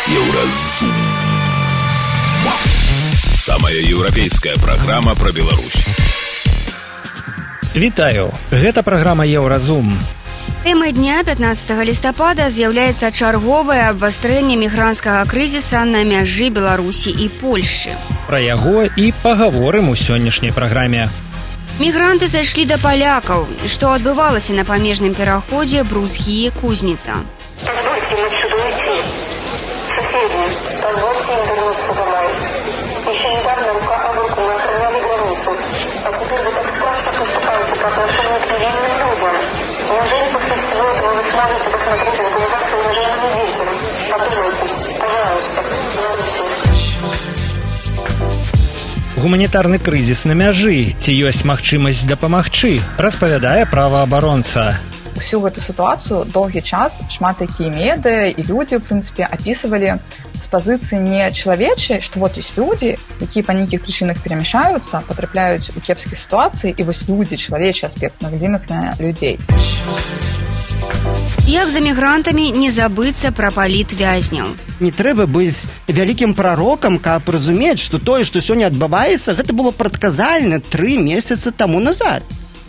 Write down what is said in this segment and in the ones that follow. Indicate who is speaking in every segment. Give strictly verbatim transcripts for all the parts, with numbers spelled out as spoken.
Speaker 1: Еўразум. Самая еўрапейская праграма пра Беларусь.
Speaker 2: Вітаю, гэта праграма Еўразум.
Speaker 3: Тэмай дня пятнаццатага лістапада з'яўляецца чарговае абвастрэнне мігранцкага крызіса на мяжы Беларусі і Польшчы.
Speaker 2: Пра яго і пагаворым у сённяшняй праграме.
Speaker 3: Мігранты зайшлі да палякаў. Што адбывалася на памежным пераходзе Брузгі-Кузніца?
Speaker 4: Позвольте им отсюда уйти. Соседи, позвольте им вернуться домой. Еще недавно рука об руку мы охраняли границу, а теперь вы так страшно поступаете по отношению к невинным людям. Неужели после всего этого вы сможете посмотреть в глаза своим женам и детям? Подумайтесь, пожалуйста, Беларуси.
Speaker 2: Гуманітарны крызіс на мяжы. Ці ёсць магчымасць дапамагчы? Распавядае праваабаронца.
Speaker 5: Всю гэту сітуацыю доўгі час шмат якія медыа і людзі, ў прынцыпе, апісвалі з пазіцыі не чалавечай, што вот ёсць людзі, якія па нейкіх прычынах перамяшаюцца, патрапляюць у кепскія сітуацыі, і вось людзі, чалавечы аспект, нагадзім іх на людзей.
Speaker 3: Як за мігрантамі не забыцца пра палітвязняў?
Speaker 6: Не трэба быць вялікім прарокам, каб разумець, што тое, што сёння адбываецца, гэта было прадказальна тры месяцы таму назад.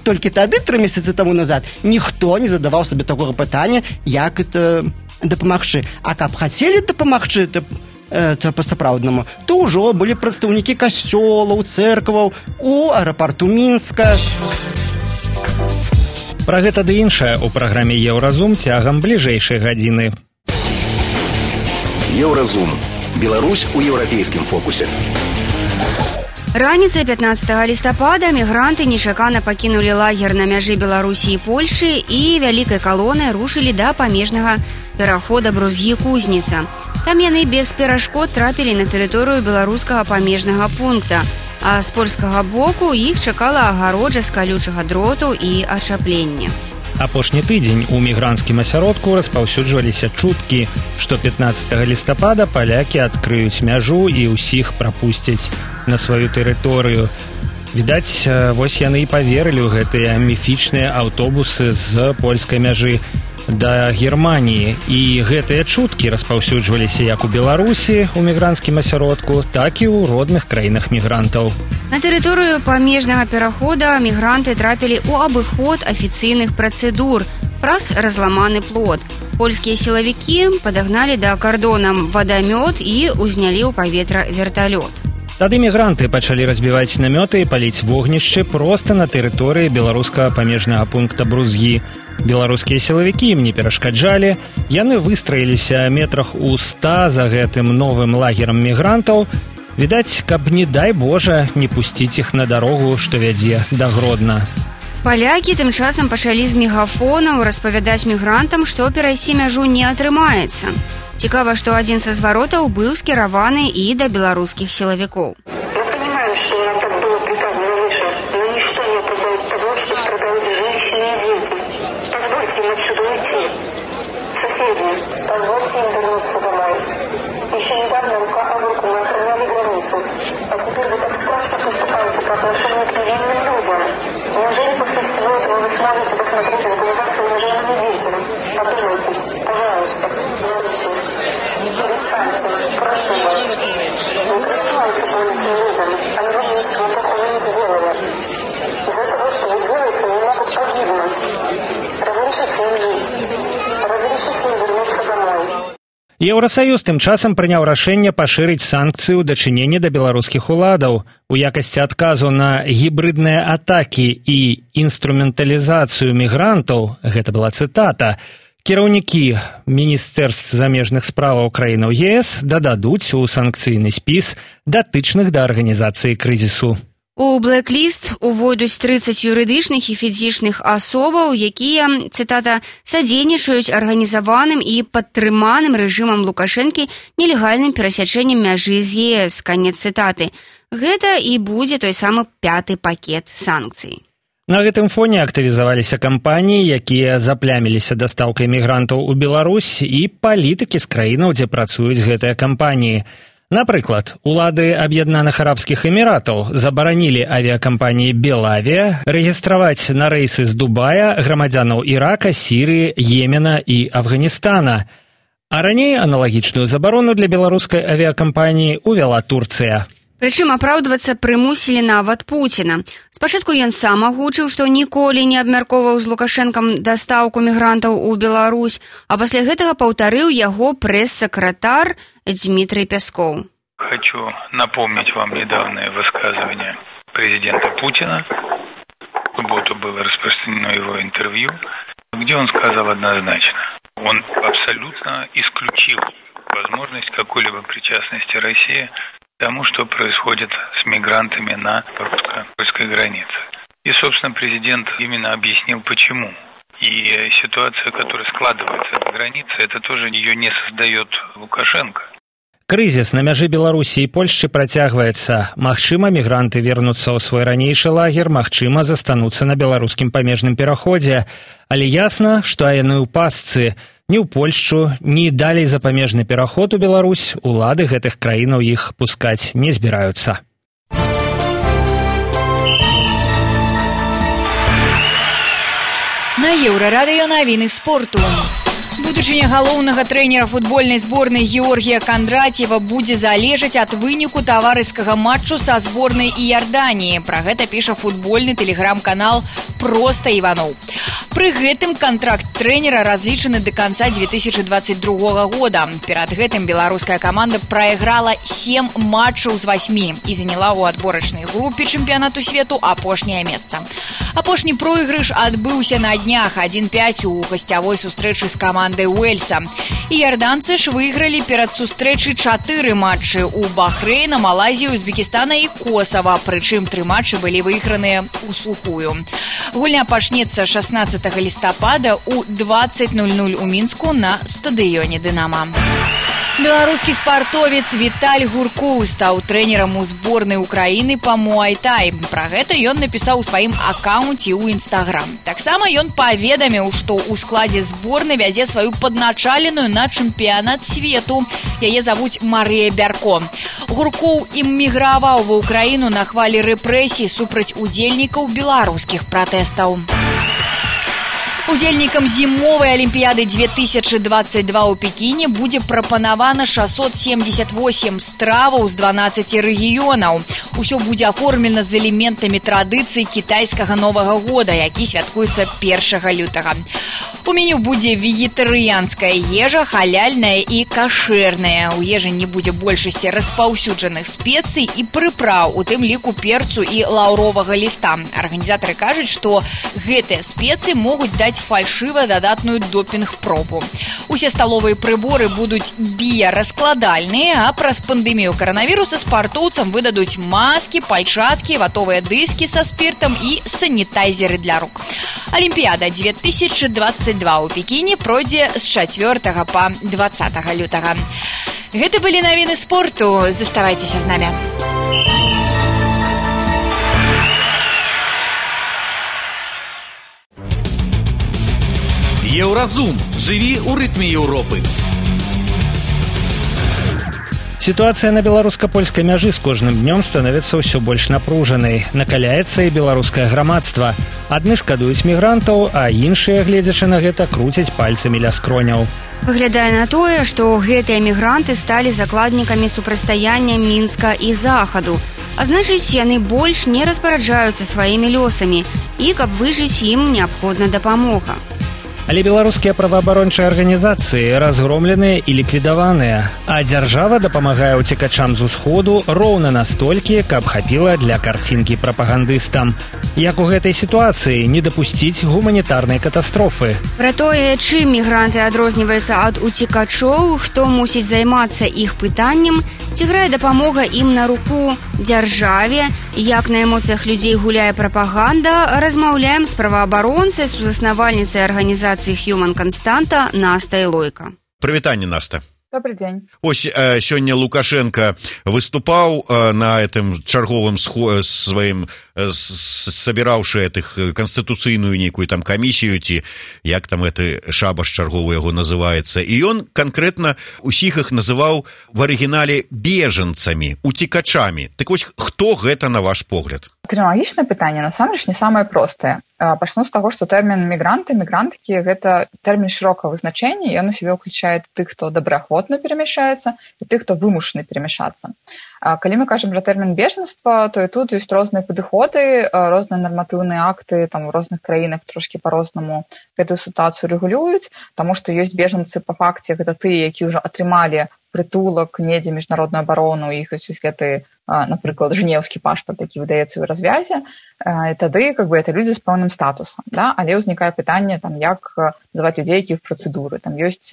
Speaker 6: Толькі тады, тры месяцы таму назад, ніхто не задаваў сабе такога пытання, як это дапамагчы. А каб хацелі дапамагчы то, э, то па-сапраўднаму, то ўжо былі прадстаўнікі касцёлаў, цэркваў у аэрапарту Мінска.
Speaker 2: Пра гэта ды іншае ў праграме Еўразум цягам бліжэйшай гадзіны.
Speaker 1: Еўразум. Беларусь у еўрапейскім фокусе.
Speaker 3: Раніцай пятнаццатага лістапада мігранты нечакана пакінулі лагер на мяжы Беларусі і Польшы і вялікай калонай рушылі да памежнага перахода Брузгі-Кузніца. Там яны без перашкод трапілі на тэрыторыю беларускага памежнага пункта, а з польскага боку іх чакала агароджа з калючага дроту і ачаплення.
Speaker 2: Апошні тыдзень у мігранцкім асяродку распаўсюджваліся чуткі, што пятнаццатага лістапада палякі адкрыюць мяжу і ўсіх прапусцяць на сваю тэрыторыю. Відаць, вось яны і паверылі ў гэтыя міфічныя аўтобусы з польскай мяжы да Германіі. І гэтыя чуткі распаўсюджваліся як у Беларусі, у мігранцкім асяродку, так і ў родных краінах мігрантаў.
Speaker 3: На тэрыторыю памежнага перахода мігранты трапілі ў абыход афіцыйных працэдур праз разламаны плот. Польскія сілавікі падагналі да кардона вадамёт і ўзнялі ў паветра верталёт.
Speaker 2: Тады мігранты пачалі разбіваць намёты і паліць вогнішчы проста на тэрыторыі беларускага памежнага пункта Брузгі. Беларускія сілавікі ім не перашкаджалі, яны выстраіліся метрах у ста за гэтым новым лагерам мігрантаў. Відаць, каб, не дай Божа, не пусціць іх на дарогу, што вядзе да Гродна.
Speaker 3: Палякі тым часам пачалі з мегафонаў распавядаць мігрантам, што перайсці мяжу не атрымаецца. Цікава, што адзін са зваротаў быў скіраваны і да беларускіх сілавікоў.
Speaker 4: Мы понимаем, что нам так было приказано выше, но ничто не оправдает того, что страдают женщины и дети. Позвольте им отсюда уйти. Соседи, позвольте им вернуться домой. Еще недавно рука об руку мы охраняли границу, а теперь вы так страшно поступаете по отношению к невинным людям. Неужели после всего этого вы сможете посмотреть в глаза своим женам и детям? Подумайтесь, пожалуйста, Беларуси. Перестаньте, прошу вас. Не причиняйте боль этим людям, они вам ничего плохого не сделали. Из-за того, что вы делаете, они могут погибнуть. Разрешите им жить. Разрешите им вернуться домой.
Speaker 2: Еўрасаюз тым часам прыняў рашэнне пашырыць санкцыі ў дачыненні да беларускіх уладаў. У якасці адказу на гібрыдныя атакі і інструменталізацыю мігрантаў, гэта была цытата, кіраўнікі міністэрств замежных справаў краінаў ЕС дададуць у санкцыйны спіс датычных да арганізацыі крызісу.
Speaker 3: У блэк-ліст увойдуць трыццаць юрыдычных і фізічных асобаў, якія, цытата, садзейнічаюць арганізаваным і падтрыманым рэжымам Лукашэнкі нелегальным перасячэннем мяжы з ЕС, канец цытаты. Гэта і будзе той самы пяты пакет санкцый.
Speaker 2: На гэтым фоне актывізаваліся кампаніі, якія запляміліся дастаўкай мігрантаў у Беларусь і палітыкі з краінаў, дзе працуюць гэтыя кампаніі. Напрыклад, улады Аб'яднаных Арабскіх Эміратаў забаранілі авіякампаніі «Белавія» рэгістраваць на рэйсы з Дубая грамадзянаў Ірака, Сірыі, Йемена і Афганістана. А раней аналагічную забарону для беларускай авіакампаніі увяла Турцыя.
Speaker 3: Прычым апраўдвацца прымусілі нават Пуціна. Спачатку ён сам агучыў, што ніколі не абмяркоўваў з Лукашэнкам дастаўку мігрантаў у Беларусь, а пасля гэтага паўтарыў яго прэс-сакратар Дмітрий Пяскоў.
Speaker 7: Хочу напомнить вам недавнее высказывание президента Путина. В субботу было распространено его интервью, где он сказал однозначно: он абсолютно исключил возможность какой-либо причастности России к тому, что происходит с мигрантами на русско-польской границе. И, собственно, президент именно объяснил, почему. И ситуация, которая складывается на границе, это тоже ее не создает Лукашенко.
Speaker 2: Крызіс на мяжы Беларусі і Польшчы працягваецца. Магчыма, мігранты вернуцца ў свой ранейшы лагер, магчыма, застануцца на беларускім памежным пераходзе. Але ясна, што яны ў пастцы. Ні ў Польшчу, ні далей за памежны пераход у Беларусь улады гэтых краінаў іх пускаць не збіраюцца.
Speaker 8: На Еўрарадыё навіны спорту. Будучыня галоўнага трэнера футбольнай зборнай Георгія Кандратьева будзе залежаць ад выніку таварыскага матчу са зборнай Іорданіі. Пра гэта піша футбольны тэлеграм-канал «Проста Іваноў». Пры гэтым кантракт трэнера разлічаны да канца две тысячи двадцать другога года. Перад гэтым беларуская каманда прайграла сем матчаў з васьмі і заняла ў адборачнай групе чэмпіянату свету апошняе месца. Апошні пройгрыш адбыўся на днях адзін пяць у гасцявой сустрэчы з камандай Уэльса. Іорданцы ж выйгралі перад сустрэчай чатыры матчы ў Бахрэйна, Малайзію, Узбекістана і Косава, прычым тры матчы былі выйграныя ў сухую. Гульня пачнецца шаснаццатага лістапада ў двадцать ноль ноль у Мінску на стадыёне «Дынама». Беларускі спартовец Віталь Гуркоў стаў трэнерам у зборнай Украіны па муай-тай. Пра гэта ён напісаў у сваім акаунце ў Інстаграм. Таксама ён паведаміў, што ў складзе зборнай вядзе сваю падначаленую на чэмпіянат свету. Яе завуць Марыя Бярко. Гуркоў імміграваў ва Ўкраіну на хвалі рэпрэсій супраць удзельнікаў беларускіх пратэстаў. Удзельнікам зімовай алімпіяды две тысячи двадцать два ў Пекіне будзе прапанавана шестьсот семьдесят восемь страваў з дванаццаці рэгіёнаў. Усё будзе аформлена з элементамі традыцыі кітайскага Новага года, які святкуецца першага лютага. У меню будзе вегетарыянская ежа, халяльная і кашэрная. У ежы не будзе большасці распаўсюджаных спецый і прыпраў, у тым ліку перцу і лаўровага ліста. Арганізатары кажуць, што гэтыя спецыі могуць даць фальшыва дадатную допінг-пробу. Усе сталовыя прыборы будуць біяраскладальныя, а праз пандэмію каранавіруса спартоўцам выдадуць маскі, пальчаткі, ватовыя дыскі са спіртам і санітайзеры для рук. Алімпіяда две тысячи двадцать два ў Пекіне пройдзе з чацвёртага па двадцатага лютага. Гэта былі навіны спорту. Заставайцеся з намі.
Speaker 9: Еўразум. Жыві ў рытме Еўропы.
Speaker 2: Сітуацыя на беларуска-польскай мяжы з кожным днём становіцца ўсё больш напружанай. Накаляецца і беларускае грамадства. Адны шкадуюць мігрантаў, а іншыя, гледзячы на гэта, круцяць пальцамі ля скроняў.
Speaker 3: Выглядае на тое, што гэтыя мігранты сталі закладнікамі супрацьстаяння Мінска і Захаду. А значыць, яны больш не распараджаюцца сваімі лёсамі, і каб выжыць, ім неабходна дапамога.
Speaker 2: Але беларускія праваабарончыя арганізацыі разгромленыя і ліквідаваныя, а дзяржава дапамагае ўцекачам з усходу роўна настолькі, каб хапіла для карцінкі прапагандыстам. Як у гэтай сітуацыі не дапусціць гуманітарнай катастрофы?
Speaker 3: Пра тое, чым мігранты адрозніваюцца ад уцекачоў, хто мусіць займацца іх пытаннем, ці грае дапамога ім на руку дзяржаве, як на эмоцыях людзей гуляе прапаганда, размаўляем з праваабаронцай, сузаснавальніцай арганізацыі Human Константа Наста Илойко.
Speaker 10: Прывітанне, Наста.
Speaker 5: Добрый день.
Speaker 10: Ось э, сёння Лукашенко выступаў э, на этом чарговым схо- сваім э, сабіраўшы этих канстытуцыйную нейкую там камісію, ці як там гэты шабаш чарговы яго называецца, і ён канкрэтна усіх іх называў в арыгінале бежанцамі, уцекачамі. Так вось, хто гэта на ваш погляд?
Speaker 5: Тэрміналагічнае пытанне насамрэч не самае простае. Пачну з таго, што тэрмін мігранты, мігранткі гэта тэрмін шырокага вызначэння, ён у сябе ўключае тых, хто добраахвотна перамяшчаецца, і тых, хто вымушаны перамяшацца. Калі мы кажам пра тэрмін бежанства, то і тут ёсць розныя падыходы, розныя нарматыўныя акты, там у розных краінах трошкі па-рознаму гэтую сітуацыю рэгулююць, таму што ёсць бежанцы па факце, гэта тыя, які ўжо атрымалі прытулак, недзе міжнародную абарону, іх ёсць гэты, напрыклад, жэнеўскі пашпарт, які выдаецца ў развязе, і тады как бы это людзі з пэўным статусам, да? Але ўзнікае пытанне, там, як называць людзей, які ў працэдуры. Там ёсць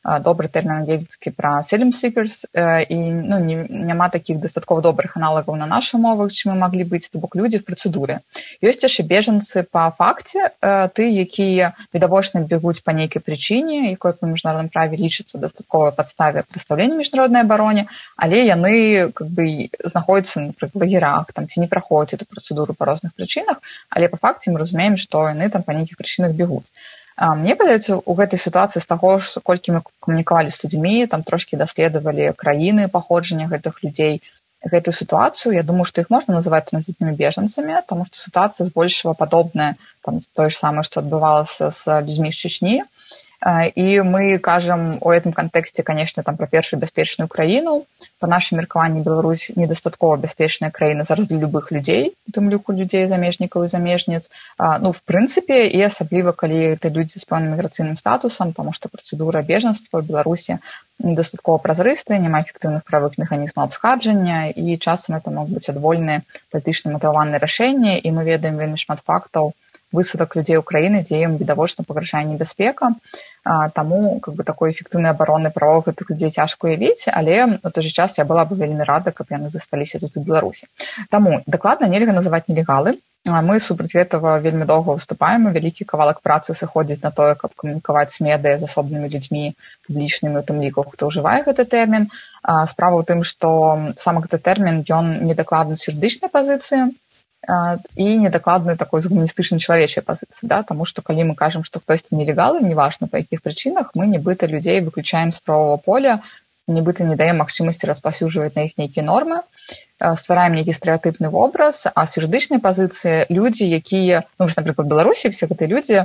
Speaker 5: добры тэрмін англійскі пра asylum seekers, і ну, не, няма такіх дастаткова добрых аналагаў на нашай мовах, чым мы маглі быць, то бок людзі в працэдуры. Ёсць яшчэ бежанцы па факце, ты, якія відавочна бегуць па нейкай прычыне, якой па міжнародным праве лічыцца дастатковай падставе прадстаўлення міжнароднай абароне, але яны как бы знаходзяцца, напрыклад, в лагерах, там, ці не праходзяць эту працэдуру па розных прычынах, але па факце мы разумеем, што яны там па нейкіх прычынах бегуць. Мне падаецца, у гэтай сітуацыі з таго, колькі мы камунікавалі з людзьмі, там трошкі даследавалі краіны паходжання гэтых людзей, гэтую сітуацыю, я думаю, што іх можна называць транзітнымі бежанцамі, таму што сітуацыя збольшага падобная, там, тое ж самае, што адбывалася з людзьмі з Чечні. І мы кажам у гэтым кантэксце, конечно, там пра першую бяспечную краіну. Па нашым меркаванні Беларусь недастаткова бяспечная краіна зараз для любых людзей, у тым ліку людзей замежнікаў і замежніц. Ну, в прынцыпе, і асабліва, калі это людзі з пэўным міграцыйным статусам, таму што працэдура бежанства ў Беларусі недастаткова празрыстая, няма эфектыўных правых механізмаў абскарджання, і часам это могуць быць адвольныя палітычна матываваныя рашэнні, і мы ведаем вельмі шмат фактаў высадак людзей ў краіны, дзе ім відавочна пагражае небяспека. Таму как бы, такой эфектыўнай абароны правоў гэтых людзей цяжка уявіць, але у той жа час я была бы вельмі рада, каб яны засталіся тут у Беларусі. Таму дакладна нельга называць нелегалы. Мы супраць гэтага вельмі доўга выступаем, і вялікі кавалак працы сыходзіць на тое, каб камунікаваць з медыя з асобнымі людзьмі публічнымі, у тым ліку, хто ўжывае гэты тэрмін. Справа ў тым, што сам гэты тэрмін, ён недакладны з юрыдычнай пазіцыі, і недакладны такой з гуманістычнай чалавечай пазіцыі, да? Таму што калі мы кажам, што хтосьці нелегалы, неважна па якіх прычынах, мы нібыта людзей выключаем з правовага поля, нібыта не даем магчымасці распаўсюджваць на іх нейкія нормы, ствараем нейкі стэрэатыпны вобраз, а з юрыдычнай пазіцыі людзі, якія, ну, напрыклад, Беларусі, все гэтыя людзі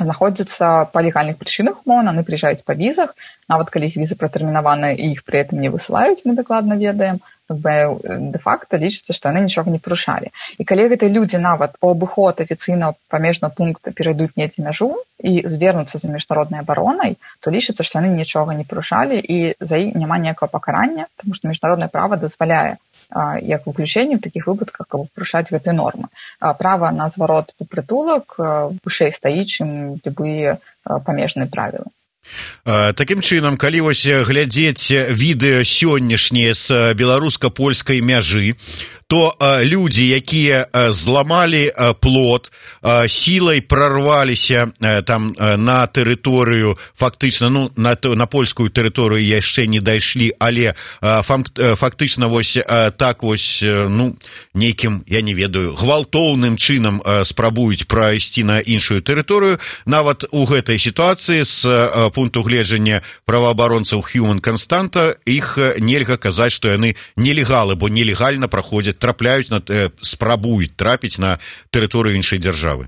Speaker 5: знаходзяцца па легальных прычынах, умоўна, яны прыязджаюць па візах, нават калі іх візы пратэрмінаваны і іх пры гэтым не высылаюць, мы дакладна ведаем, как бы дэ-факта лічыцца, што яны нічога не парушалі. І калі гэтыя людзі нават у абыход афіцыйна памежнага пункта перайдуць недзе мяжу і звернуцца за міжнароднай абаронай, то лічыцца, што яны нічога не парушалі і за іх няма ніякага пакарання, таму што міжнароднае права дазваляе як выключэнне в такіх выпадках, каб парушаць гэтыя нормы. Права на зварот у прытулак вышэй стаіць, чым любыя памежныя правілы.
Speaker 10: Такім чынам, калі вось глядзець відэа сённяшнія з беларуска-польскай мяжы, то людзі, якія зламалі плот, сілай прарваліся там на тэрыторыю, фактычна, ну, на, на польскую тэрыторыю яшчэ не дайшлі, але фактычна вось так вось, ну, нейкім, я не ведаю, гвалтоўным чынам спрабуюць прайсці на іншую тэрыторыю, нават у гэтай сітуацыі з пункту гледжання праваабаронцаў Human Constanta іх нельга казаць, што яны нелегалы, бо нелегальна праходзяць, трапляюць, на, спрабуюць трапіць на тэрыторыю іншай дзяржавы.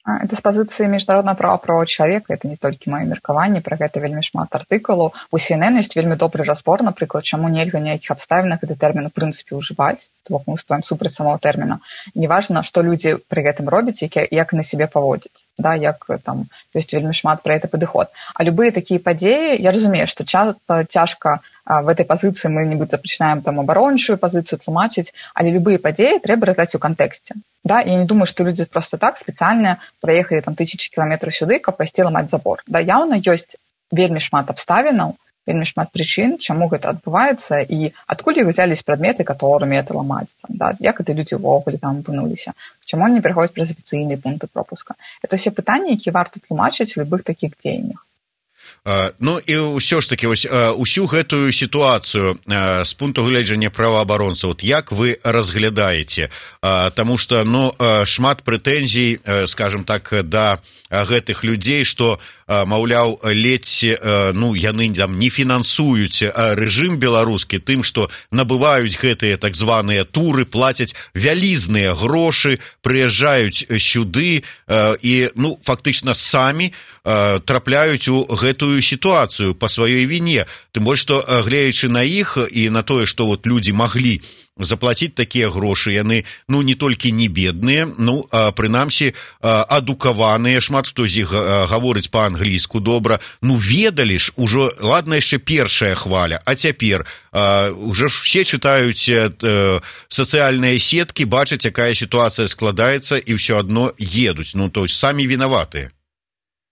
Speaker 5: Это з пазіцыі міжнароднага права правоў чалавека, это не толькі маё меркаванне, пра гэта вельмі шмат артыкулаў. У Си Эн Эн ёсць вельмі добры разбор, напрыклад, чаму нельга ніякіх абставінах гэты тэрмін у прынцыпе ўжываць, то бок мы выступаем супраць самого тэрміна. Неважна, што людзі пры гэтым робяць, як, як на сябе паводзяць, да, як там ёсць вельмі шмат пра гэта падыход. А любыя такія падзеі, я разумею, што часта цяжка в этой пазіцыі мы нібыта пачынаем там абарончую пазіцыю тлумачыць, але любыя падзеі трэба разглядаць у кантэксце. Да? Я не думаю, што людзі проста так спецыяльна праехалі там тысячы кіламетраў сюды, каб пайсці ламаць забор. Да, яўна ёсць вельмі шмат абставінаў, вельмі шмат прычын, чаму гэта адбываецца і адкуль іх узялись прадметы, которымі это ламаць. Там, да? Як гэта людзі ўвогуле там апынуліся, чаму они пераходзяць праз афіцыйныя пункты пропуска. Это все пытанні, якія варта тлумачыць у любых такіх дзеяннях.
Speaker 10: Ну і ўсё ж таки вось усю гэтую сітуацыю з пункту гледжання праваабаронцаў, як вы разглядаеце, таму што ну шмат прэтэнзій, скажем так, да гэтых людзей, што маўляў, ледзь ну яны там не фінансуюць рэжым беларускі тым, што набываюць гэтыя так званыя туры, плацяць вялізныя грошы, прыязджаюць сюды і ну фактычна самі трапляюць у гэтую сітуацыю па сваёй віне. Тым больш, што глеючы на іх і на тое, што вот людзі маглі заплаціць такія грошы, яны ну не толькі не бедныя, ну прынамсі адукаваныя, шмат хто з іх гаворыць па-англійску добра, ну ведалі ж ужо, ладна яшчэ першая хваля, а цяпер уже ж все чытаюць сацыяльныя сеткі, бачаць, якая сітуацыя складаецца і ўсё адно едуць, ну то есть самі вінаватыя.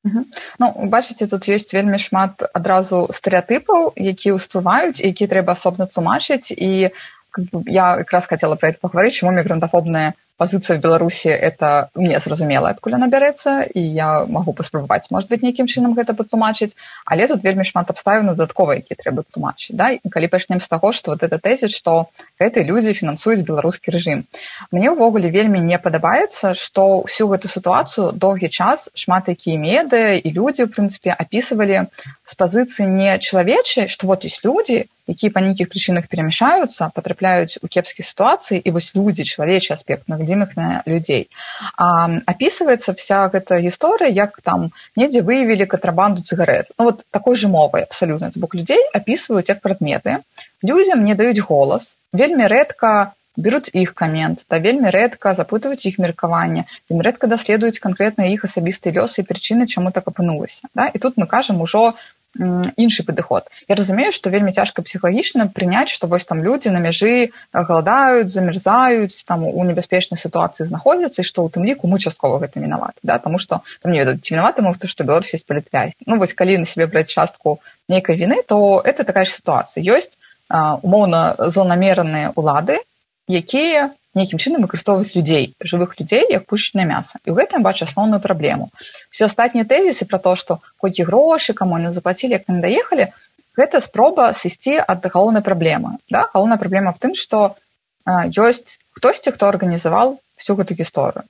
Speaker 5: Угу. Ну, бачыце, тут ёсць вельмі шмат адразу стэрэатыпаў, якія ўсплываюць, якія трэба асобна тлумачыць, і как бы, я как раз хотела про это поговорить, чему мигрантофобная позиция в Беларуси, это мне зразумела, откуда она берется, и я могу паспрабаваць, может быть, нейкім чынам гэта патлумачыць, але тут вельмі шмат абставін дадатковых, якія трэба тлумачыць, да? І калі пачнем з таго, што вот это тэзіс, што гэтыя людзі фінансуюць беларускі рэжым. Мне ўвогуле вельмі не падабаецца, што ўсю гэту сітуацыю доўгі час шмат якія медыа і людзі, в прынцыпе, апісвалі з пазіцыі не чалавечай, што вот ёсць людзі, якія па нейкіх прычынах перамяшаюцца, патрапляюць у кепскія сітуацыі, і вось людзі, чалавечы аспект, мы глядзім іх на людзей. А, апісваецца вся гэта гісторыя, як там недзе выявілі кантрабанду цыгарэт. Ну вот такой же мовай абсалютна. То бок людзей апісваюць як прадметы, людзям не даюць голас, вельмі рэдка беруць іх камент, да, вельмі рэдка запытваюць іх меркаванне, вельмі рэдка даследуюць канкрэтныя іх асабістыя лёсы і прычыны, чаму так апынулася. Да? І тут мы кажам ужо іншы падыход. Я разумею, што вельмі цяжка псіхалагічна прыняць, што вось там людзі на мяжы галадаюць, замерзаюць, там у небяспечнай сітуацыі знаходзяцца, і што ў тым ліку мы часткова гэта вінаваты, да? Таму што там не ведаю, ці вінаваты мы, што Беларусь ёсць палітвязень. Ну вось калі на сябе браць частку нейкай віны, то это такая ж сітуацыя. Ёсць умоўна злонамераныя ўлады, якія нейкім чынам выкарыстоўваюць людзей, жывых людзей, як пушачнае мяса. І ў гэтым бачу асноўную праблему. Все астатнія тэзісы пра то, што колькі грошы, каму яны заплацілі, як яны даехалі, гэта спроба сысці ад галоўнай праблемы. Да? Галоўная праблема в тым, што а, ёсць хтосьці, хто арганізаваў всю гэту гісторыю.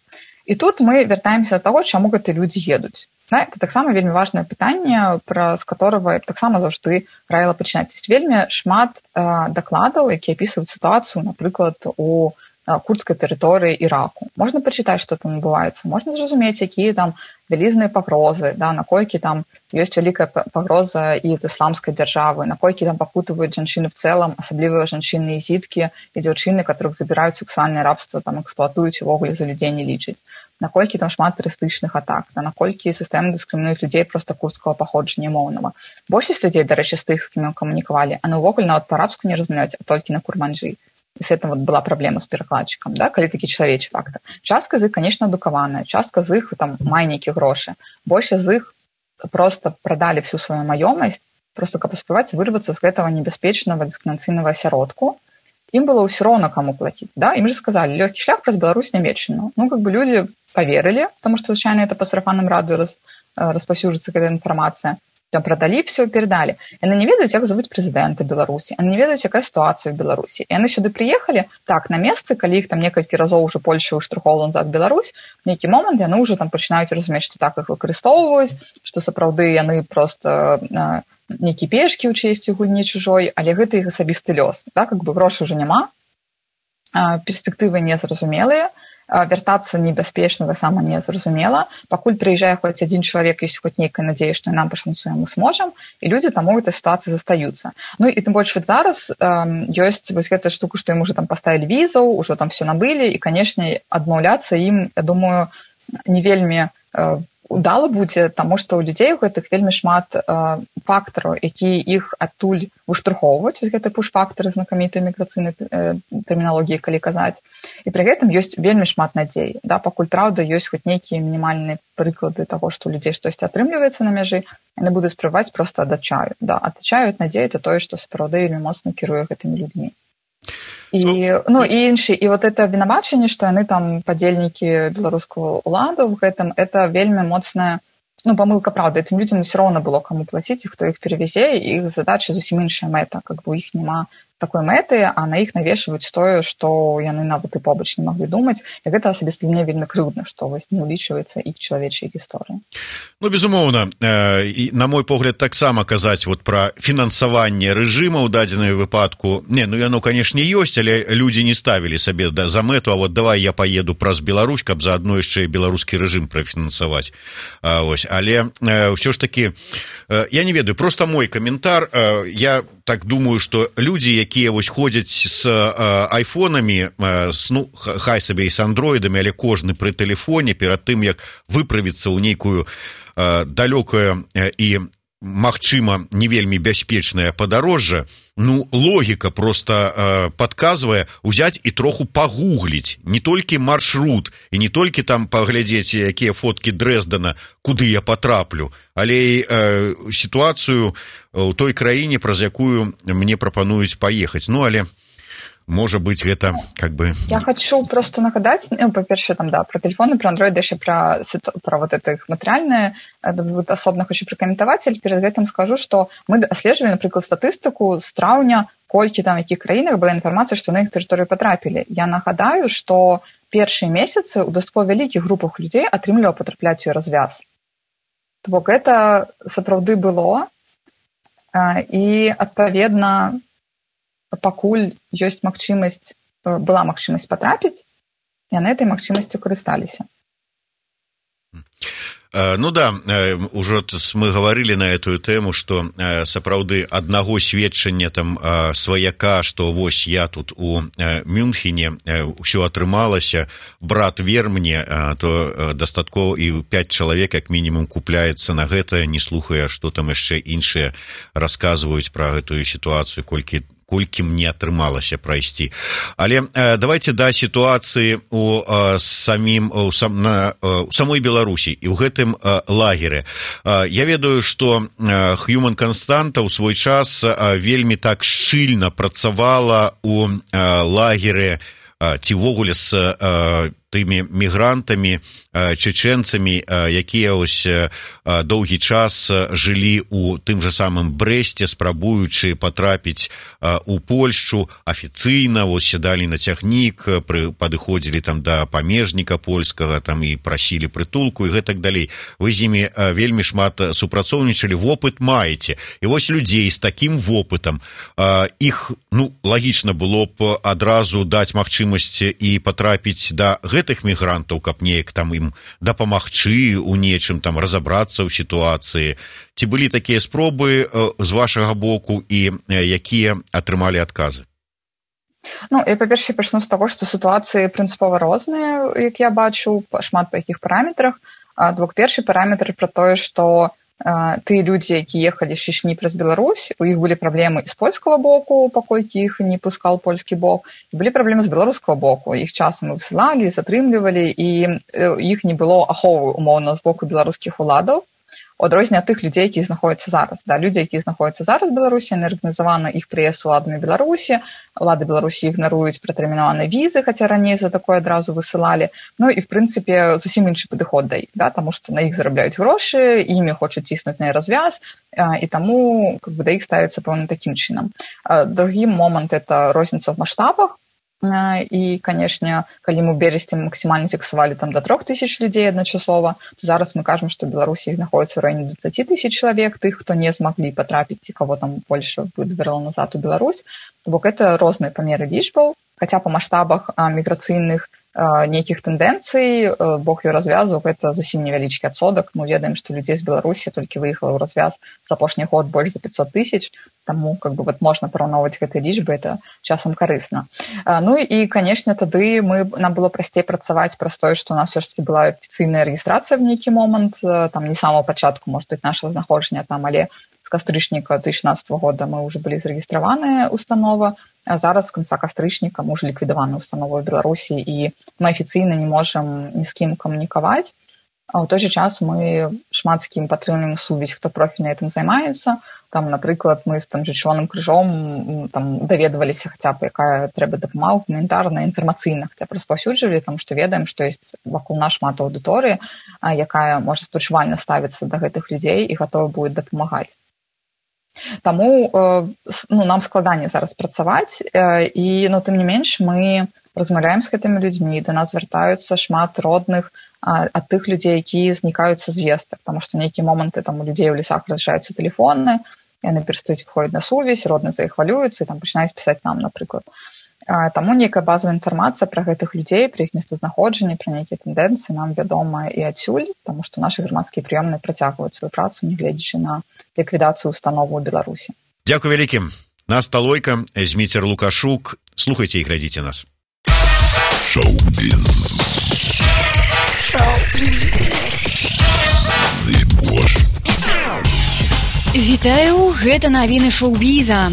Speaker 5: І тут мы вяртаемся да таго, чаму гэтыя людзі едуць. Да? Это таксама вельмі важнае пытанне, праз которого таксама заўжды раіла пачынаць. Ёсць вельмі шмат а, дакладаў, якія апісваюць сітуацыю, напрыклад, у курдскай тэрыторыі Іраку. Можна пачытаць, што там адбываецца, можна зразумець, якія там вялізныя пагрозы, да, наколькі там ёсць вялікая пагроза і ад ісламскай дзяржавы, наколькі там пакутаваюць жанчыны в цэлым, асабліва жанчыны і зіткі і дзяўчыны, которых забіраюць сексуальнае рабства, там эксплуатуюць увогуле за людзей не лічаць. Наколькі там шмат тэрарыстычных атак, да, наколькі сістэма дыскрымінуюць людзей проста курдскага паходжання моўнага. Большасць людзей, дарэчы, з тых, з кім мы камунікавалі, яны ўвогуле нават па-арабску не размаўляюць, а толькі на курманджы. И с этим вот была проблема с перакладчиком, да, калі такі чалавечы фактор. Частка з іх, конечно, адукаваная, частка з іх там мае нейкія грошы. Больше з іх просто продали всю свою маёмасць, просто каб паспяваць вырвацца з гэтага небяспечнага дыскрымінацыйнага асяродку. Ім было ўсё роўна каму плаціць, да, ім же сказали, лёгкі шлях праз Беларусь нямецчыну. Ну, как бы люди поверили, потому что, звычайна, это по сарафанным радыё раз, распаўсюджваецца эта інфармацыя. Там продали, все передали. Яны не ведаюць, як завуць прэзідэнта Беларусі, яны не ведаюць, якая сітуацыя ў Беларусі. І яны сюды прыехалі, так, на месцы, калі іх там некалькі разоў уже Польша ўштурхоўвала назад Беларусь, в нейкі момант яны ўжо там пачынаюць разумець, што так іх выкарыстоўваюць, што сапраўды яны проста э, нейкі пешкі ў чесці гульні чужой, але гэта іх асабісты лёс. Да? Как бы грошай уже няма, э, перспектывы незразумелыя, вяртацца небяспечна, таксама не зразумела. Пакуль прыязджае хоць адзін чалавек, ёсць хоць нейкая надзея, што і нам пашанцуе, мы сможам, і людзі там у гэтай сітуацыі застаюцца. Ну і тым больш зараз э, ёсць вось гэтая штука, што ім уже там паставілі візаў, ужо там все набылі, і, канешне, адмаўляцца ім, я думаю, не вельмі э, удала будзе, таму што ў людзей у гэтых вельмі шмат э, фактараў, якія іх адтуль выштурхоўваюць, вось гэты пуш-фактары знакамітай міграцыйнай э, тэрміналогіі, калі казаць. І пры гэтым ёсць вельмі шмат надзей. Да? Пакуль, праўда, ёсць хоць нейкія мінімальныя прыклады таго, што у людзей штосьці атрымліваецца на мяжы, яны будуць спрабаваць проста ад адчаю. Да? Адчаю ад надзеі, это тое, што сапраўды вельмі моцна кіруе гэтымі людзьмі. І, ну, і іншы, і вот это вінавачанне, што яны там падзельнікі беларускага ўладу в гэтым, это вельмі моцная, ну, памылка, правда, этим людзям ўсё роўна было каму плаціць, і хто іх перавязе, і іх задача зусім іншая мэта, как бы у іх няма такой мэты, а на іх навешваюць тое, што яны нават і побач не маглі думаць. І гэта асабіста для мяне вельмі крыўдна, што вось не ўлічваецца іх чалавечыя гісторыі.
Speaker 10: Ну, безумоўна, і, на мой погляд, таксама казаць вот пра фінансаванне рэжыма ў дадзенай выпадку. Не, ну яно, канешне, ёсць, але людзі не ставілі сабе за мэту, а вот давай я паеду праз Беларусь, каб заадно яшчэ і беларускі рэжым прафінансаваць. А, ось. Але ўсё ж такі, я не ведаю, просто мой каментар, я так думаю, што людзі, якія вось ходзяць з айфонамі, ну, хай сабе і з андроідамі, але кожны пры тэлефоне перад тым, як выправіцца ў нейкую далёкае і, магчыма, не вельмі бяспечнае падарожжа, ну, логіка проста падказвае ўзяць і троху пагугліць не толькі маршрут і не толькі там паглядзець, якія фоткі Дрэздена, куды я патраплю, але і сітуацыю ў той краіне, праз якую мне прапануюць паехаць. Ну, але можа быць, гэта как бы...
Speaker 5: Я хочу просто нагадаць, ну, па-першае, там, да, про тэлефоны, про андроиды, яшчэ про, про вот это их матэрыяльнае, асобна хочу пракаментаваць, але перед гэтым скажу, што мы аслежвалі, напрыклад, статыстыку з траўня, колькі там, якіх краінах была інфармацыя, што на іх тэрыторыю патрапілі. Я нагадаю, што першыя месяцы ў дастаткова вялікіх групах людзей атрымлівала патрапляць у развяз. То бок гэта сапраўды было, і, адпаведна, пакуль ёсць магчымасць, была магчымасць патрапіць, яны этой магчымасцю карысталіся.
Speaker 10: Ну да, ўжо мы гаварылі на эту тэму, што сапраўды аднаго сведчання там сваяка, што вось я тут у Мюнхене, ўсё атрымалася, брат вер мне, то дастаткова і пяць чалавек як мінімум купляецца на гэта, не слухае, што там яшчэ іншыя расказваюць пра гэтую сітуацыю, колькі колькі мне атрымалася прайсці. Але э, давайте да сітуацыі у э, самім у, сам, на, э, у самой Беларусі і ў гэтым э, лагеры. Э, я ведаю, што э, Human Constanta ў свой час э, вельмі так шчыльна працавала у э, лагеры э, ці ввогуле з э, тымі мігрантамі, чеченцамі, якія ось доўгі час жылі у тым жа самым Брэсце, спрабуючы патрапіць у Польшчу афіцыйна, ось сядалі на цягнік, падыходзілі там да памежніка польскага, там і прасілі прытулку і гэтак далей. Вы з імі вельмі шмат супрацоўнічалі, вопыт маеце. І вось людзей з такім вопытам, іх, ну, лагічна было б адразу даць магчымасць і патрапіць да гэтых мігрантаў, каб неяк там ім дапамагчы ў нечым, там разабрацца ў сітуацыі. Ці былі такія спробы з вашага боку і якія атрымалі адказы?
Speaker 5: Ну, я, па-першае, пачну з таго, што сітуацыі прынцыпова розныя, як я бачу, шмат па якіх параметрах. Двух першы параметр пра тое, што тыя людзі, якія ехалі з Чечні праз Беларусь, у іх былі праблемы з польскага боку, паколькі іх не пускаў польскі бок, і былі праблемы з беларускага боку. Іх часам высылалі, затрымлівалі, і іх не было аховы, умоўна, з боку беларускіх уладаў. У адрозненне ад тых людзей, якія знаходзяцца зараз. Да, людзі, якія знаходзяцца зараз у Беларусі, яны арганізаваны іх прыезд уладамі Беларусі. Улады Беларусі ігнаруюць пратэрмінаваныя візы, хаця раней за такое адразу высылалі. Ну і, в прынцыпе, зусім іншы падыход да іх, да, таму што на іх зарабляюць грошы, імі хочуць ціснуць на развяз, і таму как бы, да іх ставіцца, пэўна, такім чынам. Другі момант – это розніца ў маштабах. І, канешне, калі мы ў берасці максімальна фіксавалі там да трох тысяч людзей адначасова, то зараз мы кажам, што ў Беларусі іх знаходзіцца ў раёне дваццаць тысяч чалавек, тых, хто не змаглі патрапіць, ці каго там Польша выдварыла назад у Беларусь. То бок гэта розныя памеры лічбаў, хаця па маштабах міграцыйных нейкіх тэндэнцый, бок і развязу, гэта зусім невялічкі адсотак. Мы ведаем, што людзей з Беларусі толькі выехала ў развяз за апошні год больш за пятьсот тысяч, таму как бы, вот, можна параўноўваць гэтыя лічбы, это часам карысна. Ну і, канешне, тады мы, нам было прасцей працаваць праз тое, што у нас все ж таки была афіцыйная рэгістрацыя в нейкі момант, там не з самого пачатку, может быть, нашага знаходжання там, але з кастрычніка две тысячи шестнадцатого года мы ўжо былі зарэгістраваная установа, а зараз з канца кастрычніка мы ўжо ліквідаваная установа ў Беларусі, і мы афіцыйна не можам ні з кім камунікаваць. А ў той жа час мы шмат з кім падтрымліваем сувязь, хто профільна гэтым займаецца. Там, напрыклад, мы з там же Чырвоным крыжом там даведваліся хаця б, якая трэба дапамога гуманітарна, інфармацыйна, хаця б распаўсюджвалі, там што ведаем, што ёсць вакол нас шмат аўдыторыі, якая можа спачувальна ставіцца да гэтых людзей і гатова будзе дапамагаць. Таму ну, нам складаней зараз працаваць, і ну, тым не менш мы размаўляем з гэтымі людзьмі, да нас звяртаюцца шмат родных ад тых людзей, якія знікаюцца з вестак, таму што нейкія моманты там у людзей у лесах разряджаюцца тэлефоны, яны перастаюць выходзіць на сувязь, родныя за іх хвалююцца і там пачынаюць пісаць нам, напрыклад. Таму нейкая базавая інфармацыя пра гэтых людзей, пра іх месцазнаходжанне, пра нейкія тэндэнцыі нам вядома і адсюль, таму што нашы грамадскія прыёмныя працягваюць сваю працу, нягледзячы на ліквідацыю установу ў Беларусі.
Speaker 10: Дзякуй вялікім. Настя Лойка, Зміцер Лукашук. Слухайце і глядзіце нас.
Speaker 1: Шоу-біз.
Speaker 8: Вітаю, гэта навіны шоу-біза.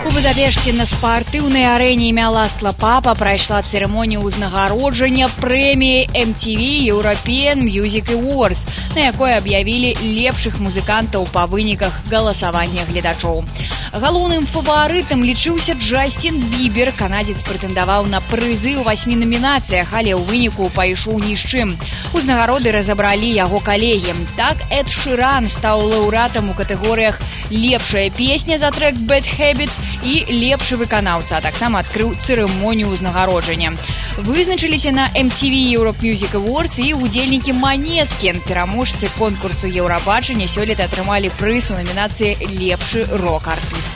Speaker 8: У Будапешце на спартыўнай арэне імя Ласла Папа прайшла цырымонія ўзнагароджання прэміі эм ти ви European Music Awards, на якой аб'явілі лепшых музыкантаў па выніках галасавання гледачоў. Галоўным фаварытам лічыўся Джастин Бібер. Канадзец прэтэндаваў на прызы ў васьмі номінацыях, але ў выніку пайшоў ні з чым. Узнагароды разабралі яго калегі. Так, Эд Шыран стаў лаўрэатам у катэгорыях «Лепшая песня» за трэк «Bad Habits» і «Лепшы выканаўца», а таксама адкрыў цырымонію ўзнагароджання. Вызначыліся на эм ти ви Europe Music Awards і удзельнікі Манескін. Пераможцы конкурсу Еўрабачання сёлета атрымалі прыз у намінацыі «Лепшы рок-артыст».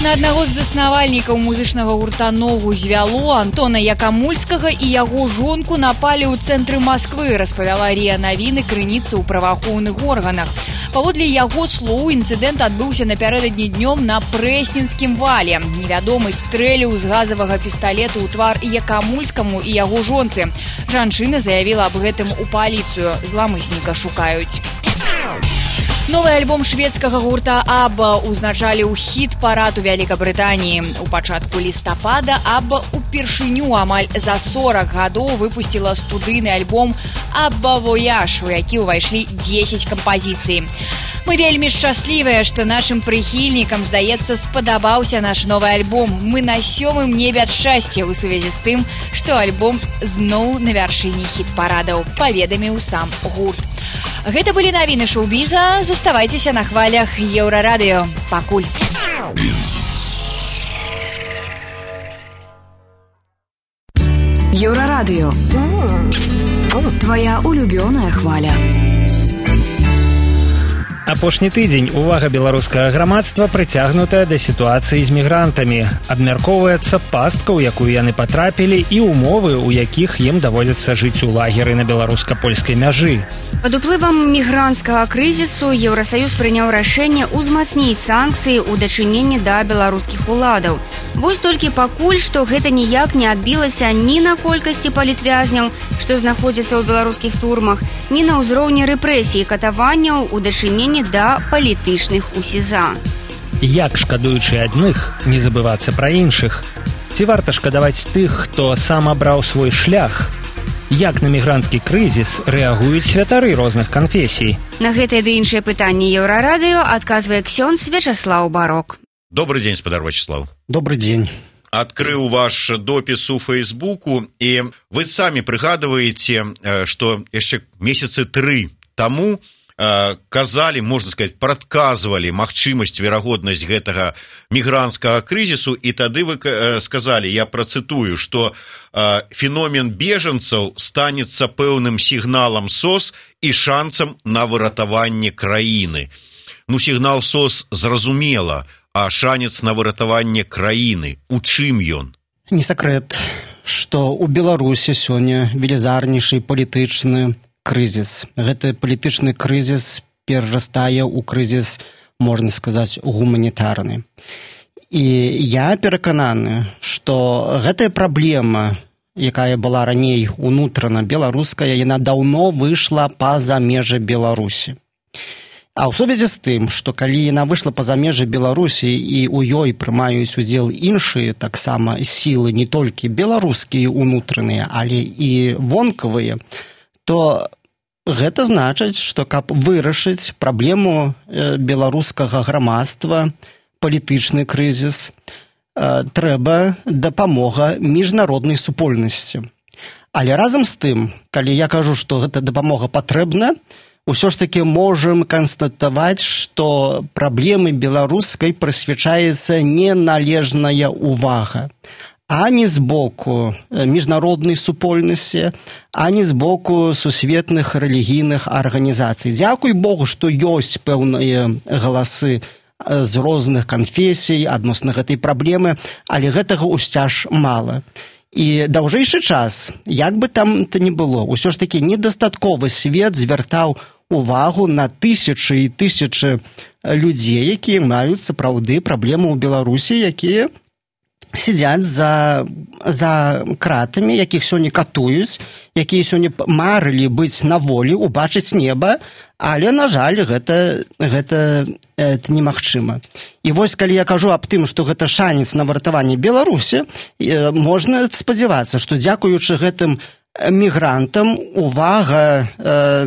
Speaker 8: На аднаго з заснавальнікаў музычнага гурта «Ногу звяло» Антона Якамульскага і яго жонку напалі ў цэнтры Масквы, распавяла РИА Навіны крыніца ў праваахоўных органах. Паводле яго слоў, інцыдэнт адбыўся напярэдадні днём на Прэсненскім вале. Невядомы стрэліў з газавага пісталета ў твар Якамульскаму і яго жонцы. Жанчына заявіла аб гэтым у паліцыю. Зламысніка шукаюць. Новы альбом шведскага гурта Абба узначаліў хіт-парад у Вялікабрытаніі. У пачатку лістапада Абба упершыню амаль за сорак гадоў выпусціла студыйны альбом «Абба Вояж», у які ўвайшлі дзесяць кампазіцый. Мы вельмі шчаслівыя, што нашым прыхільнікам, здаецца, спадабаўся наш новы альбом. Мы на сёмым небе ад шчасця ў сувязі з тым, што альбом зноў на вяршыні хіт-парадаў, паведаміў сам гурт. Гэта былі навіны шоу-біза. Заставайцеся на хвалях Еўрарадыё. Пакуль.
Speaker 11: Еўрарадыё. Твоя улюбёная хваля.
Speaker 2: Апошні тыдзень увага беларускага грамадства прыцягнутая да сітуацыі з мігрантамі. Абмяркоўваецца пастка, у якую яны патрапілі, і ўмовы, у якіх ім даводзіцца жыць у лагеры на беларуска-польскай мяжы.
Speaker 3: Пад уплывам мігранцкага крызісу Еўрасаюз прыняў рашэнне ўзмацніць санкцыі ў дачыненні да беларускіх уладаў. Вось толькі пакуль што гэта ніяк не адбілася ні на колькасці палітвязняў, што знаходзяцца ў беларускіх турмах, ні на ўзроўні рэпрэсій і катаванняў у дачыненні да палітычных у СІЗА.
Speaker 2: Як, шкадуючы адных, не забывацца пра іншых? Ці варта шкадаваць тых, хто сам абраў свой шлях? Як на мігранцкі крызіс рэагуюць святары розных канфесій?
Speaker 3: На гэтае ды іншыя пытанні Еўрарадыё адказвае ксёндз Вячаслаў Барок.
Speaker 10: Добрый дзень, спадар Вячаслаў.
Speaker 6: Добрый дзень.
Speaker 10: Адкрыў ваш допіс у Фейсбуку, і вы самі прыгадваеце, што яшчэ месяцы тры таму казалі, можна сказаць, прадказвалі магчымасць, верагоднасць гэтага мігранцкага крызісу, і тады вы сказалі, я працытую, што феномен бежанцаў станецца пэўным сігналам СОС і шансам на выратаванне краіны. Ну, сігнал СОС зразумела, а шанец на выратаванне краіны, у чым ён?
Speaker 6: Не сакрэт, што ў Беларусі сёння велізарнейшы палітычны крызіс. Гэты палітычны крызіс перарастае ў крызіс, можна сказаць, гуманітарны. І я перакананы, што гэтая праблема, якая была раней унутрана беларуская, яна даўно выйшла па-за межы Беларусі. А ў сувязі з тым, што калі яна выйшла па-за межы Беларусі і ў ёй прымаюць удзел іншыя таксама сілы, не толькі беларускія унутраныя, але і вонкавыя, то гэта значыць, што каб вырашыць праблему беларускага грамадства, палітычны крызіс, трэба дапамога міжнароднай супольнасці. Але разам з тым, калі я кажу, што гэта дапамога патрэбна, ўсё ж таки можам канстатаваць, што праблемы беларускай прысвячаецца неналежная ўвага. Ані з боку міжнароднай супольнасці, ані з боку сусветных рэлігійных арганізацый. Дзякуй Богу, што ёсць пэўныя галасы з розных канфесій адносна гэтай праблемы, але гэтага ўсцяж мала. І даўжэйшы час, як бы там то не было, ўсё ж такі недастатковы свет звяртаў увагу на тысячы і тысячы людзей, якія маюць сапраўды праблемы ў Беларусі, якія сядзяць за, за кратамі, якіх сёння катуюць, якія сёння марылі быць на волі, убачыць неба, але, на жаль, гэта, гэта, гэта немагчыма. І вось, калі я кажу аб тым, што гэта шанец на выратаванне Беларусі, можна спадзявацца, што дзякуючы гэтым мігрантам увага э,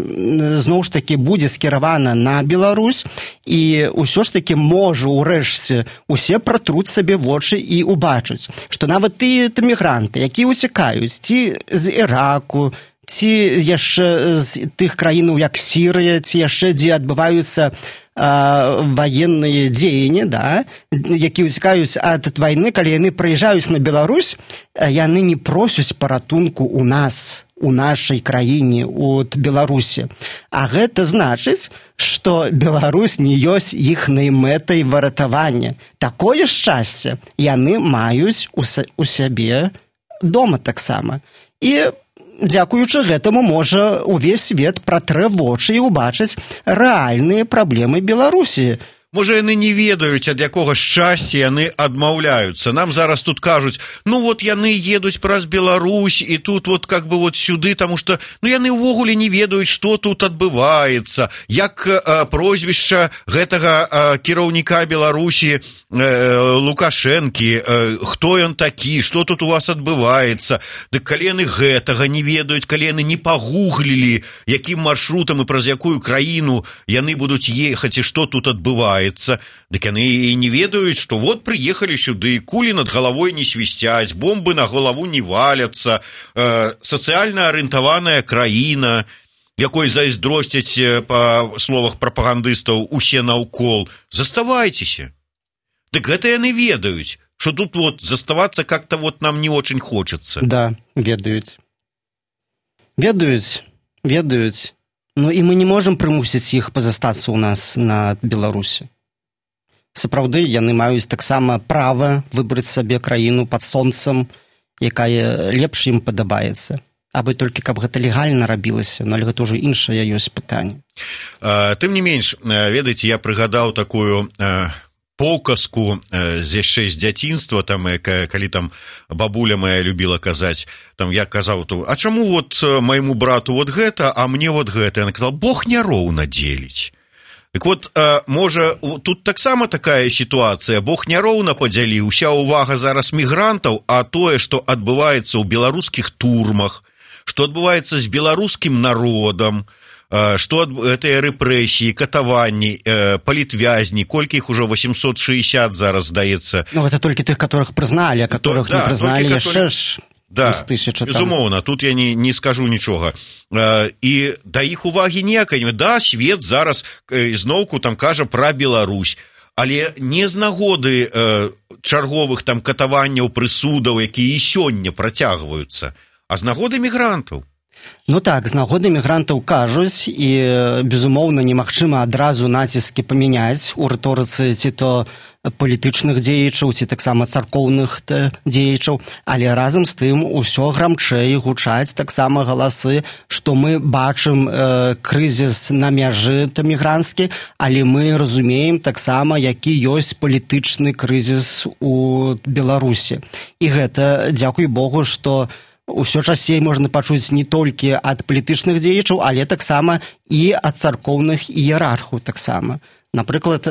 Speaker 6: зноў ж такі будзе скіравана на Беларусь, і ўсё ж такі можа ўрэшце усе пратруць сабе вочы і убачаць, што нават тыя мігранты, якія ўцякаюць ці з Іраку, ці яшчэ з тых краінаў, як Сірыя, ці яшчэ дзе адбываюцца военные дзеянні, да, якія ўцякаюць ад вайны, калі яны прыязджаюць на Беларусь, яны не просяць паратунку ў нас, у нашай краіне, от Беларусі. А гэта значыць, што Беларусь не ёсць іхнай мэтай выратавання. Такое шчасце яны маюць у сябе дома таксама. І дзякуючы гэтаму можа увесь свет пратрэ вочы і ўбачыць рэальныя праблемы Беларусі.
Speaker 10: Можа, яны не ведаюць, ад якога шчасця яны адмаўляюцца. Нам зараз тут кажуць, ну вот яны едуць праз Беларусь, і тут вот как бы вот сюды, таму што ну яны ўвогуле не ведаюць, што тут адбываецца, як э, прозвішча гэтага э, кіраўніка Беларусі э, Лукашэнкі, э, хто ён такі, што тут у вас адбываецца. Дык калі яны гэтага не ведаюць, калі яны не пагуглілі, якім маршрутам і праз якую краіну яны будуць ехаць і што тут адбываецца, дык яны і не ведаюць, што вот прыехалі сюды, кулі над галавой не свісцяць, бомбы на галаву не валяцца, э, сацыяльна арыентаваная краіна, якой зайздросцяць, па словах прапагандыстаў, усе наўкол. Заставайцеся. Дык гэта яны ведаюць, што тут вот заставацца как-то вот нам не очень хочется.
Speaker 6: Да, ведаюць. Ведаюць, ведаюць. Ну і мы не можам прымусіць іх пазастацца ў нас на Беларусі. Сапраўды, яны маюць таксама права выбраць сабе краіну пад сонцам, якая лепш ім падабаецца. Абы толькі, каб гэта легальна рабілася, но гэта ўжо іншае ёсць пытанне.
Speaker 10: Тым не менш, ведаеце, я прыгадаў такую паўказку з яшчэ з дзяцінства, там, калі там бабуля моя любіла казаць, там я казаў, а чаму вот майму брату вот гэта, а мне вот гэта? Яна казала, Бог няроўна дзеліць. Так вот, можа, тут таксама такая сітуацыя, Бог няроўна падзяліў, уся ўвага зараз мігрантаў, а тое, што адбываецца ў беларускіх турмах, што адбываецца з беларускім народам, што гэтыя рэпрэсіі, катаванні, палітвязні, колькі іх ужо восемьсот шестьдесят зараз, здаецца.
Speaker 6: Ну, гэта толькі тых, которых прызналі, а которых не прызналі яшчэ ж...
Speaker 10: Да, безумоўна, тут я не, не скажу нічога. І да іх увагі ніякай. Да, свет зараз зноўку там кажа пра Беларусь, але не з нагоды э, чарговых там катаванняў, прысудаў, якія і сёння працягваюцца, а з нагоды мігрантаў.
Speaker 6: Ну так, з нагоды мігрантаў кажуць, і, безумоўна, немагчыма адразу націскі памяняць у рыторыцы ці то палітычных дзеячаў, ці таксама царкоўных дзеячаў, але разам з тым усё грамчэй гучаць таксама галасы, што мы бачым э, крызіс на мяжы мігранцкі, але мы разумеем таксама, які ёсць палітычны крызіс у Беларусі. І гэта, дзякуй Богу, што усё часцей можна пачуць не толькі ад палітычных дзеячаў, але таксама і ад царкоўных іерархаў таксама. Напрыклад, э,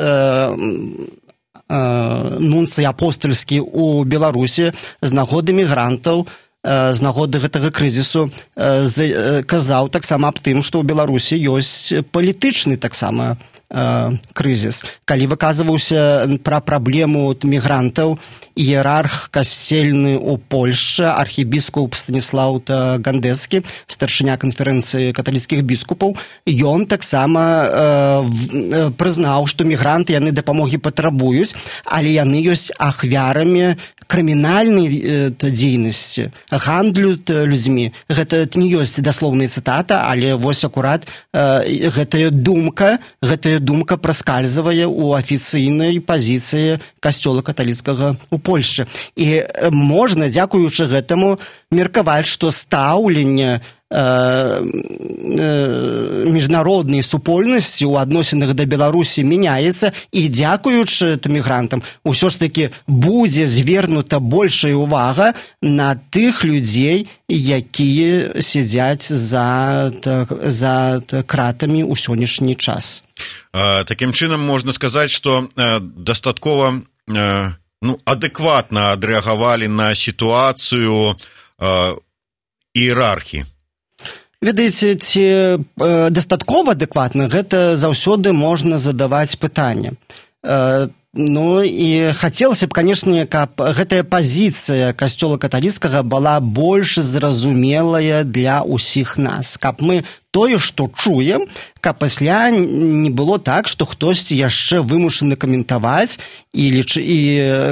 Speaker 6: э, нунцый апостальскі ў Беларусі з нагоды мігрантаў, э, з нагоды гэтага крызісу э, казаў таксама аб тым, што ў Беларусі ёсць палітычны таксама крызіс. Калі выказваўся пра праблему мігрантаў іерарх касцельны ў Польшчы, архібіскуп Станіслаў Гандэцкі, старшыня канферэнцыі каталіцкіх біскупаў, ён таксама э, прызнаў, што мігранты яны дапамогі патрабуюць, але яны ёсць ахвярамі крымінальнай э, дзейнасці, гандлю людзьмі. Гэта не ёсць даслоўная цытата, але вось акурат э, гэтая думка, гэтая думка праскальзывае ў афіцыйнай пазіцыі касцёла каталіцкага ў Польшчы. І э, можна, дзякуючы гэтаму, меркаваць, што стаўленне міжнароднай супольнасці ў адносінах да Беларусі мяняецца, і дзякуючы мігрантам усё ж такі будзе звернута большая увага на тых людзей, якія сядзяць за, за кратамі ў сённяшні час.
Speaker 10: Такім чынам можна сказаць, што дастаткова ну, адэкватна адрэагавалі на сітуацыю іерархіі.
Speaker 6: Ведаеце, ці э, дастаткова адэкватна, гэта заўсёды можна задаваць пытанне. Э, ну і хацелася б, канешне, каб гэтая пазіцыя касцёла каталіцкага была больш зразумелая для ўсіх нас, каб мы тое, што чуем, каб пасля не было так, што хтосьці яшчэ вымушаны каментаваць і, ліч... і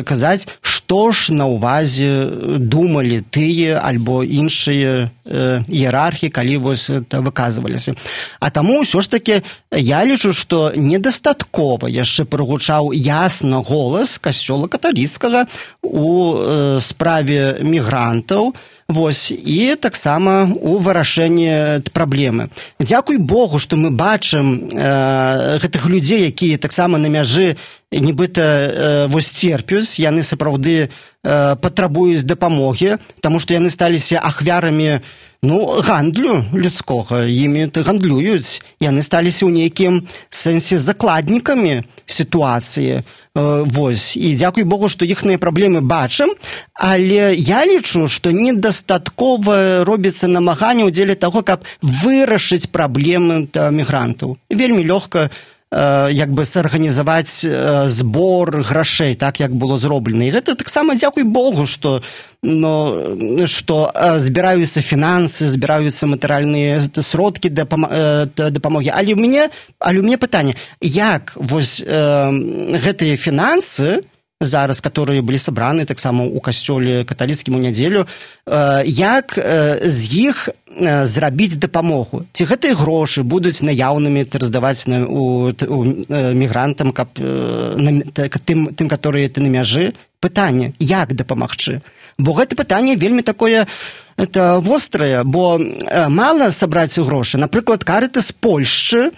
Speaker 6: казаць, што ж на ўвазе думалі тыя альбо іншыя э, іерархі, калі вось выказваліся. А таму ўсё ж такі я лічу, што недастаткова яшчэ прагучаў ясна голас касцёла каталіцкага у э, справе мігрантаў, вось, і таксама у вырашэнні праблемы. Дзякуй Богу, што мы бачым э, гэтых людзей, якія таксама на мяжы нібыта э, вось церпюць, яны сапраўды э, патрабуюць дапамогі, таму што яны сталіся ахвярамі ну, гандлю людскога, імі гандлююць, яны сталіся ў нейкім сэнсе закладнікамі сітуацыі. Вось. І дзякуй Богу, што іхныя праблемы бачым, але я лічу, што недастаткова робіцца намаганне ў дзеле таго, каб вырашыць праблемы мігрантаў. Вельмі лёгка як бы сарганізаваць збор грашэй, так як было зроблена. І гэта таксама дзякуй Богу, што но што збіраюцца фінансы, збіраюцца матэрыяльныя сродкі дапамогі. Але ў мяне, але ў мяне пытанне, як вось э, гэтыя фінансы зараз, которые былі сабраны таксама ў касцёле каталіцкім у нядзелю, э, як э, з іх э, зрабіць дапамогу? Ці гэтыя грошы будуць наяўнымі раздаваць на, у, у э, мігрантам, каб э, на, тым, тым, которые ты на мяжы? Пытанне, як дапамагчы? Бо гэта пытанне вельмі такое это вострае, бо э, мала сабраць грошы. Напрыклад, Карытас Польшчы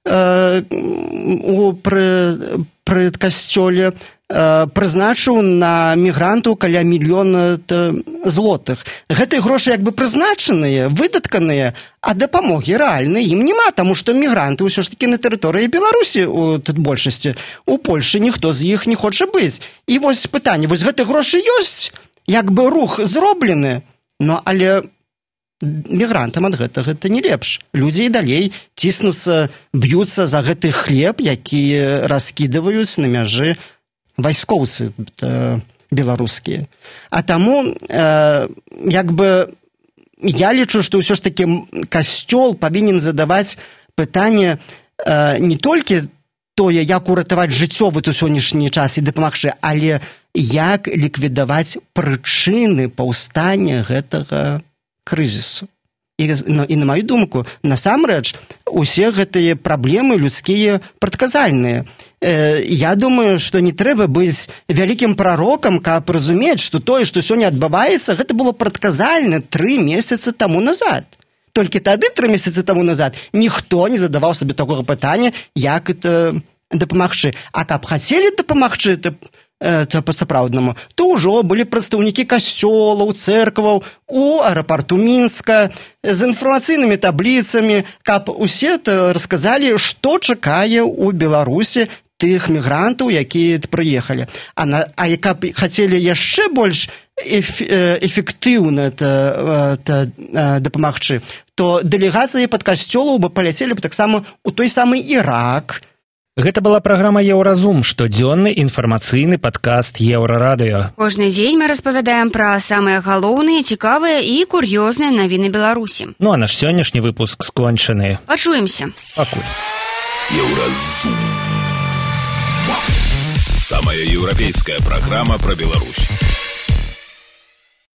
Speaker 6: э, у пры, пры касцёле прызначыў на мігрантаў каля мільёна злотых. Гэтыя грошы як бы прызначаныя, выдатканыя, а дапамогі рэальнай ім няма, таму што мігранты ўсё ж такі на тэрыторыі Беларусі у тут большасці. У Польшы ніхто з іх не хоча быць. І вось пытанне, вось гэтыя грошы ёсць, як бы рух зроблены, но але мігрантам ад гэтага гэта не лепш. Людзі і далей ціснуцца, б'юцца за гэты хлеб, які раскідваюць на мяжы вайскоўцы э, беларускія. А таму э, як бы я лічу, што ўсё ж такі касцёл павінен задаваць пытанне э, не толькі тое, як уратаваць жыццё в сённяшні час і дапамагчы, але як ліквідаваць прычыны паўстання гэтага крызісу. І, ну, і на маю думку, насамрэч, усе гэтыя праблемы людскія прадказальныя. Э, я думаю, што не трэба быць вялікім прарокам, каб разумець, што тое, што сёння адбываецца, гэта было прадказальна тры месяцы таму назад. Толькі тады, тры месяцы таму назад, ніхто не задаваў сабе такога пытання, як это дапамагчы. А каб хацелі дапамагчы, то то па-сапраўднаму, то ўжо былі прадстаўнікі касцёлаў, цэркваў у аэрапарту Мінска з інфармацыйнымі табліцамі, каб усе расказалі, што чакае ў Беларусі тых мігрантаў, якія прыехалі. А, на, а каб хацелі яшчэ больш эф, эфектыўна та, та, дапамагчы, то дэлегацыі пад касцёлаў бы паляцелі б таксама ў той самы Ірак,
Speaker 2: Гэта была праграма «Еўразум», штодзённы інфармацыйны падкаст «Еўрарадыё».
Speaker 3: Кожны дзень мы распавядаем пра самыя галоўныя, цікавыя і кур'ёзныя навіны Беларусі.
Speaker 2: Ну а наш сённяшні выпуск скончаны.
Speaker 3: Пачуемся.
Speaker 2: Пакуль.
Speaker 1: Еўразум. Самая еўрапейская праграма пра Беларусь.